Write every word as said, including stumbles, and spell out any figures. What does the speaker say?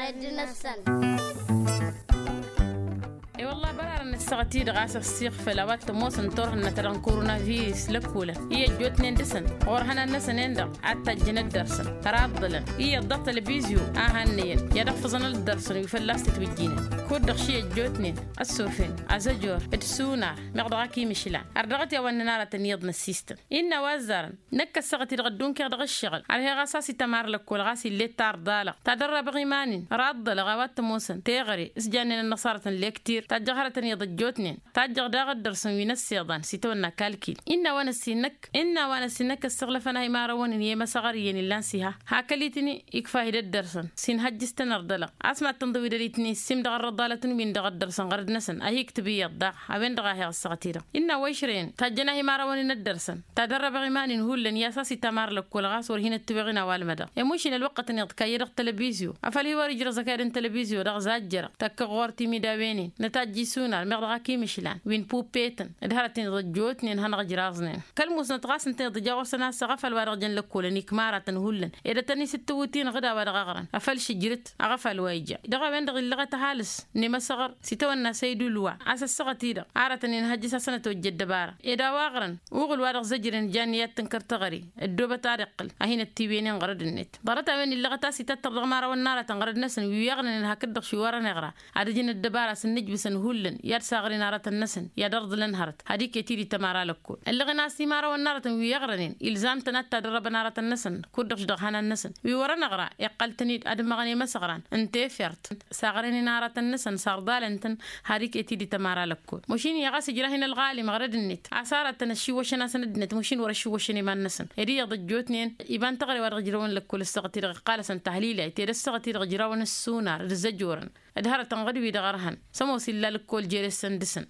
Ăddinăt-săn. E-wălla bărarăn ǝssăɣăt-i-dăɣ a-s ăssiɣfăl a-wa t-ămoosăn turhǝnna ta dăɣ-n koronavirus lăkkolăn i-ăjjootnen dăɣ-săn ɣur-ihănan-năsăn-en-dăɣ a t-tajjăn ăddărsăn raḍḍălăn iyyăḍ daɣ tălbizyo a hannăyăn i-ad-ăɣfăẓăn ăddărsăn wi fălla-s tǝtwǝjjinăn kud-dăɣ ši ăjjootnen ăssofăn azăjor d-sunar meɣ dăɣ-ak imǝšlan ar dăɣ-t i-a-wa ǝnnăn aratăn iyyăḍ n-ăssistăn. Innă a-wa ăzzarăn năkk ăssaɣăt-i-dăɣ ăddunkăɣ dăɣ-ǝššăɣǝl ărheɣ a-s a-s itămar lăkkol ɣas ill'-e d-tarḍa-dăɣ tadărrăbăɣ iman-in raḍḍălăɣ a-wa t-ămoosăn teɣăre s-jannen ănnăṣarăt n-lektir tajjăɣ hărătăn iyyăḍ ăjjootnen tajjăɣ daɣ ăddărsăn wi n-ăssiḍan s-itawănna kalkil. Innă a-wa n-ăssinnăk innă a-wa n-ăssinnăk ăssiɣlăfăn a imarăwăn-in i-emăsăɣăr iyyăn illan s-iha hakăl-itǝni ikfa-hi d-ăddărsăn s-inhăjjǝs-tăn ărḍălăɣ a-s mad-tănḍăwidăl-itǝni s-imdăɣ ărrăḍalăt n-win-dăɣ ăddărsăn ɣărăd-năsăn a hi-iktǝb iyyăḍ daɣ a-wen-dăɣ a heɣ ăssaɣăt-i-dăɣ. Innă a-wa išrăyăn tajjăn a hi-imarăwăn-in ăddărsăn tadărrăbăɣ iman-in hullan i-a-s a-s itămar lăkkol ɣas wăr hin-ăttiwăɣ-in a-wa ălmădăɣ i-mušin ălwăqqătăn iḍkayye dăɣ-tălbizyo afăl hi-wăr-ijrăẓ ăkayăd n-tălbizyo dăɣ-zajjărăɣ tăkkăɣ ɣur-timidawenen nătajj isunar meɣ dăɣ-ak imǝšlan wi n-puppetăn d-hărăten iḍăjjootnen hanăɣ-ǝjraẓnen kăl-musnăt ɣas ǝnta iḍǝja ɣur-săn a-s aɣăfal wa dăɣ-jăn lăkkolăn ikmaratăn hullan ed ad-tăn-isǝttǝwǝt-inăɣ d-a-wa dăɣ-aɣrăn afăl šǝjrǝt aɣăfal wa ija dăɣ-a-wen-dăɣ illăɣăt ăhalǝs n-emăsăɣăr s-itawănna săydul wa a-s ăssaɣăt-i-dăɣ aratăn-in hăjjǝs a-s ănătojje ăddăbara ed a-wa aɣrăn uɣǝl wa dăɣ-zăjrăn jan i-ad-tǝnkăr teɣăre ăddoobăt ad-iqqǝl a hin-ăttiwenen ɣărăd-net. Ḍarăt-a-wen illăɣăt a-s itattăr dăɣ-imarăwăn n-aratăn ɣărăd-năsăn wi iɣnănen hakd-dăɣ š-iwărăn iɣra ad-ǝjǝn ăddăbara a-s ǝnnǝjbǝsăn hullan i-ad-saɣren aratăn-năsăn i-ad-ărḍǝlăn hărăt ad-iket-dd i-tămara lăkkol. Ăllăɣen a-s imarăwăn n-aratăn wi iɣrănen ilzam-tăn ad-tadărrăbăn aratăn-năsăn kud-dăɣ š-dăɣ-ihănan-năsăn wi wărăn iɣra iqqăl-tăn-dd ad-ǝmmăɣăn i-imăsăɣran n-tefert saɣrănen aratăn-năsăn sarḍalăn-tăn har iket-dd i-tămara lăkkol. Mašin iyyăɣ a-s ǝjrah-in ălɣalim ɣărăd-net a-s aratăn ăššiwwăšăn-asăn ăddinăt mašin wăr-ăššiwwăšăn iman-năsăn ed iyyăḍ ăjjootnen iban teɣăre wa dăɣ-ǝjrăwăn lăkkol ǝssaɣăt-i-dăɣ iqqal-asăn tahlila i-ted ăssaɣăt-i-dăɣ ǝjrawăn ǝssunar d-zăjorăn d-hărătăn ɣǝd-wi-dăɣ ărhăn s-ămoos illa lăkkol jere-săn dăɣ-săn.